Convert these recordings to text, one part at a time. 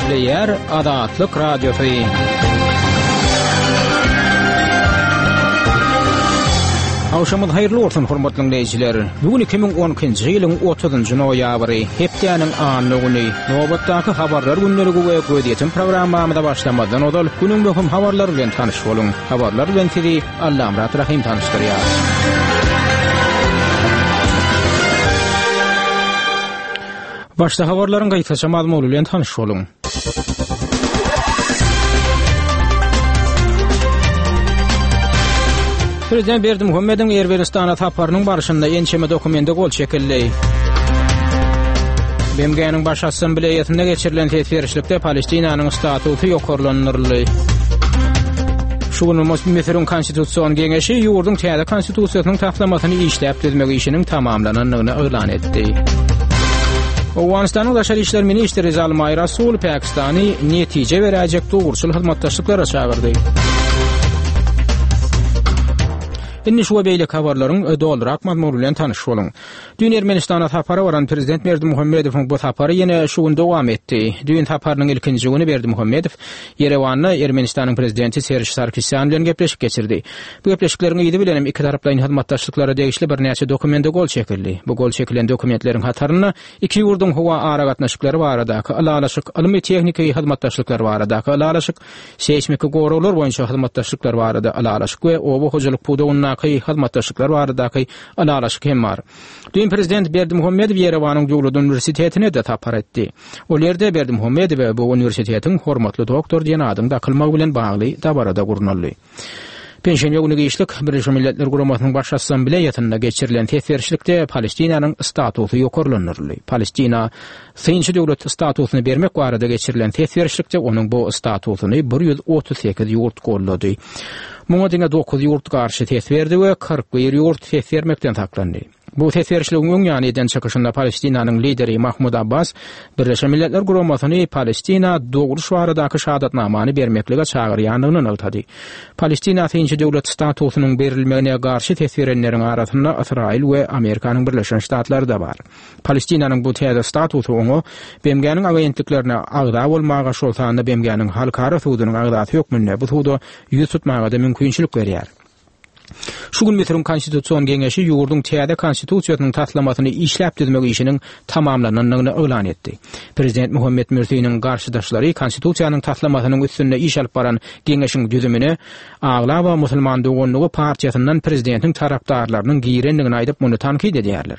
Gepleýär Azatlyk Radiosy. Agşamyňyz haýyrly bolsun, hormatly diňleýjiler. Bu gün 2012-nji ýylyň 30-njy noýabry, hepdäniň anna güni. Nobatdaky habarlar gündeligi we gözýetim programmamyza başlamazdan ozal, günüň möhüm habarlary bilen tanyş boluň. Habarlar bilen sizi Allamyrat Rahym tanyşdyrýar. Başda habarlaryň gysgaça mazmuny bilen tanyş boluň. Prezident Berdimuhamediň Ermenistana saparynyň barşynda ençeme dokumente gol çekildi. BMG-niň Baş Assambleýasynda geçirilen ses berişlikde Palestinanyň statusy ýokarlandyryldy. Şu gün Müsüriň Konstitusion geňeşi ýurduň täze konstitusiýasynyň taslamasyny işläp düzmek işiniň tamamlanandygyny yglan etdi. Owganystanyň daşary işler ministri Zalmaý Rasul Pakistany netije beräýjek dogruçyl hyzmatdaşlyklara çagyrdy. Indi şu we beýleki habarlaryň dolurak mazmuny bilen tanyş boluň. Düýn Ermenistana sapara baran prezident Berdimuhamedowyň bu sapary ýene şu gün dowam etdi. Düýn saparynyň ilkinji güni Berdimuhamedow Ýerewanda Ermenistanyň prezidenti Serž Sarkisýan bilen gepleşik geçirdi. Bu gepleşikleriň yzy bilenem ikitaraplaýyn hyzmatdaşlyklara degişli birnäçe dokumente gol çekildi. Bu gol çekilen dokumentleriň hatarynda iki ýurduň howa aragatnaşyklary baradaky ylalaşyk, ylmy-tehniki hyzmatdaşlyklar baradaky ylalaşyk, seýsmiki goraglar boýunça hyzmatdaşlyklar barada ylalaşyk we oba hojalyk pudagyndaky hyzmatdaşlyklar baradaky ylalaşyk hem bar. Düýn prezident Berdimuhamedow Ýerewanyň döwlet uniwersitetine-de sapar etdi. Ol ýerde Berdimuhamedowa bu uniwersitetiň hormatly doktor diýen adyň dakylmagy bilen bagly dabara-da gurnaldy. Penşenbe güni giçlik Birleşen Milletler Guramasynyň Baş Assambleýasynda geçirilen ses berişlikde Palestinanyň statusy ýokarlandyryldy. Palestina synçy döwlet statusyny bermek barada geçirilen ses berişlikde onuň bu statusyny 138 ýurt goldady. Muňa diňe dokuz ýurt garşy ses berdi we 41 ýurt ses bermekden saklandy. Bu ses berişligiň öň ýany eden çykyşynda Palestinanyň lideri Mahmud Abbas Birleşen Milletler Guramasyny Palestina dogruş baradaky şahadatnamany bermeklige çagyrýandygyny nygtady. Palestina synçy döwlet statusynyň berilmegine garşy ses berenleriň arasynda Ysraýyl we Amerikanyň Birleşen Ştatlary-da bar. Palestinanyň bu täze statusy oňa BMG-niň agentliklerine agza bolmaga, şol sanda BMG-niň Halkara sudunyň agzasy hökmünde bu suda ýüz tutmaga-da mümkinçilik berýär. Şu gün Müsüriň Konstitusion geňeşi ýurduň täze Konstitusiýasynyň taslamasyny işläp düzmek işiniň tamamlanandygyny yglan etdi. Prezident Muhammet Mürsiniň garşydaşlary Konstitusiýanyň taslamasynyň üstünde iş alyp baran geňeşiň düzümine aglaba Musulman doganlygy partiýasyndan prezidentiň tarapdarlarynyň girendigini aýdyp, muny tankyt edýärler.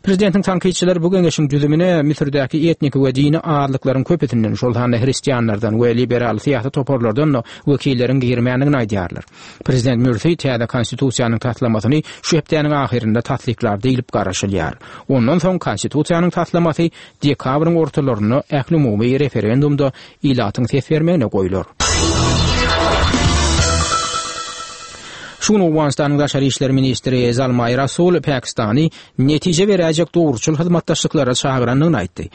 Prezidentiň tankytçylary bu geňeşiň düzümine Müsürdäki etniki we dini azlyklaryň köpüsinden, şol sanda hristianlardan we liberal syýasy toparlardan-da wekilleriň girmändigini aýdýarlar. Prezident Mürsi täze Konstitusiýanyň taslamasyny şu hepdäniň ahyrynda tassyklar diýlip garaşylýar. Ondan soň Konstitusiýanyň taslamasy dekabryň ortalarynda ählumumy referendumda ilatyň ses bermegine goýlar. Şu gün Owganystanyň daşary işler ministri Zalmaý Rasul Pakistany netije beräýjek dogruçyl hyzmatdaşlyklara çagyrandygyny aýtdy.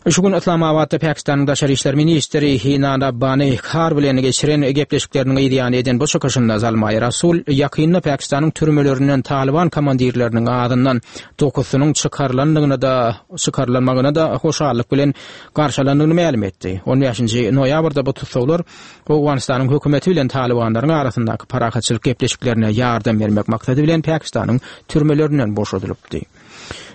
Şu gün Yslamabatda Pakistanyň daşary işler ministri Hina Rabbani Khar bilen geçiren gepleşikleriniň yzýany eden bu çykyşynda Zalmaý Rasul ýakynda Pakistanyň türmelerinden Talyban komandirleriniň azyndan dokuzysynyň çykarylandygyna-da çykarylanmagyna-da hoşallyk bilen garşylandygyny mälim etdi. On bäşinji noýabrda bu tussaglar Owganystanyň hökümeti bilen talybanlaryň arasyndaky parahatçylyk gepleşiklerine ýardam bermek maksady bilen Pakistanyň türmelerinden boşadylypdy.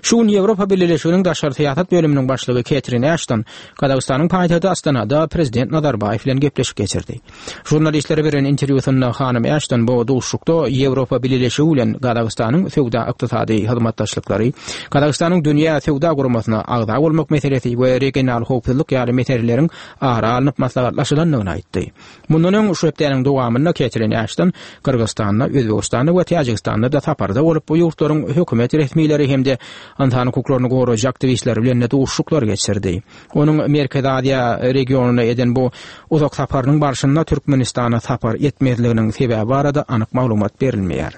Şu gün Ýewropa Bileleşiginiň daşary syýasat bölüminiň başlygy Ketrin Äşton Gazagystanyň paýtagty Astanada prezident Nazarbaýew bilen gepleşik geçirdi. Žurnalistlere beren interwýusynda hanym Äşton bu duşuşykda Ýewropa Bileleşigi bilen Gazagystanyň söwda-ykdysady hyzmatdaşlyklary, Gazagystanyň Dünýä söwda guramasyna agza bolmak meselesi we regional howpsuzlyk ýaly meseleleriň ara alnyp maslahatlaşylandygyny aýtdy. Mundan öň, şu hepdäniň dowamynda Ketrin Äşton Gyrgyzystanda, Özbegistanda we Täjigistanda-da saparda bolup, bu ýurtlaryň hökümet resmileri hem-de ynsan hukuklaryny goraýjy aktiwistleri bilen-de duşuşyklar geçirdi. Onuň Merkezi Aziýa regionyna eden bu uzak saparynyň barşynda Türkmenistana sapar etmezliginiň sebäbi barada anyk maglumat berilmeýär.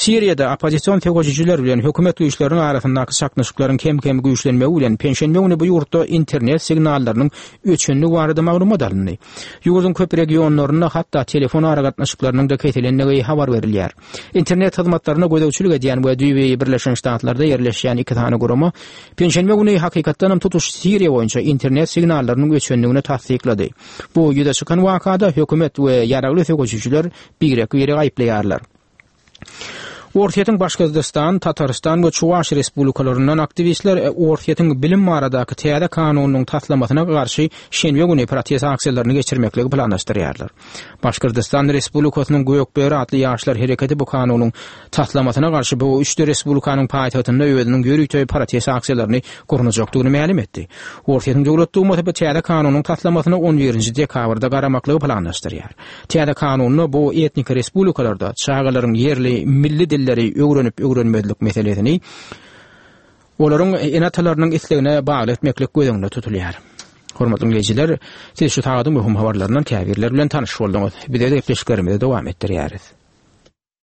Siriýada oppozision söweşijiler bilen hökümet güýçleriniň arasyndaky çaknyşyklaryň kem-kem güýçlenmegi bilen, penşenbe güni bu ýurtda internet signallarynyň öçendigi barada maglumat alyndy. Ýurduň köp regionlarynda hatda telefon aragatnaşyklarynyň-da kesilendigi habar berilýär. Internet hyzmatlaryna gözegçilik edýän we düýbi Birleşen Ştatlarda ýerleşýän iki sany gurama penşenbe güni hakykatdanam tutuş Siriýa boýunça internet signallarynyň öçendigini tassyklady. Bu ýüze çykan wakada hökümet we ýaragly söweşijiler birek-biregi aýyplaýarlar. Orsýetiň Başgyrdystan, Tatarystan we Çuwaş respublikalaryndan aktiwistler Orsýetiň bilim baradaky täze kanunynyň taslamasyna garşy şenbe güni protest aksiýalaryny geçirmekligi planlaşdyrýarlar. Başgyrdystan Respublikasynyň Gök böri atly ýaşlar hereketi bu kanunyň taslamasyna garşy bu üçde respublikanyň paýtagtynda özüniň ýörite protest aksiýalaryny gurnajakdygyny mälim etdi. Orsýetiň Döwlet Dumasy bu täze kanunyň taslamasyna on birinji dekabrda garamaklygy planlaşdyrýar. Täze kanunda bu etniki respublikalarda çagalaryň ýerli milli dilleri öwrenip-öwrenmezlik meselesini olaryň ene-atalarynyň islegine bagly etmeklik göz öňünde tutulýar. Hormatly diňleýjiler, siz şu sagadyň möhüm habarlaryndan käbirleri bilen tanyş bolduňyz. Biz öz gepleşiklerimizi dowam etdirýäris.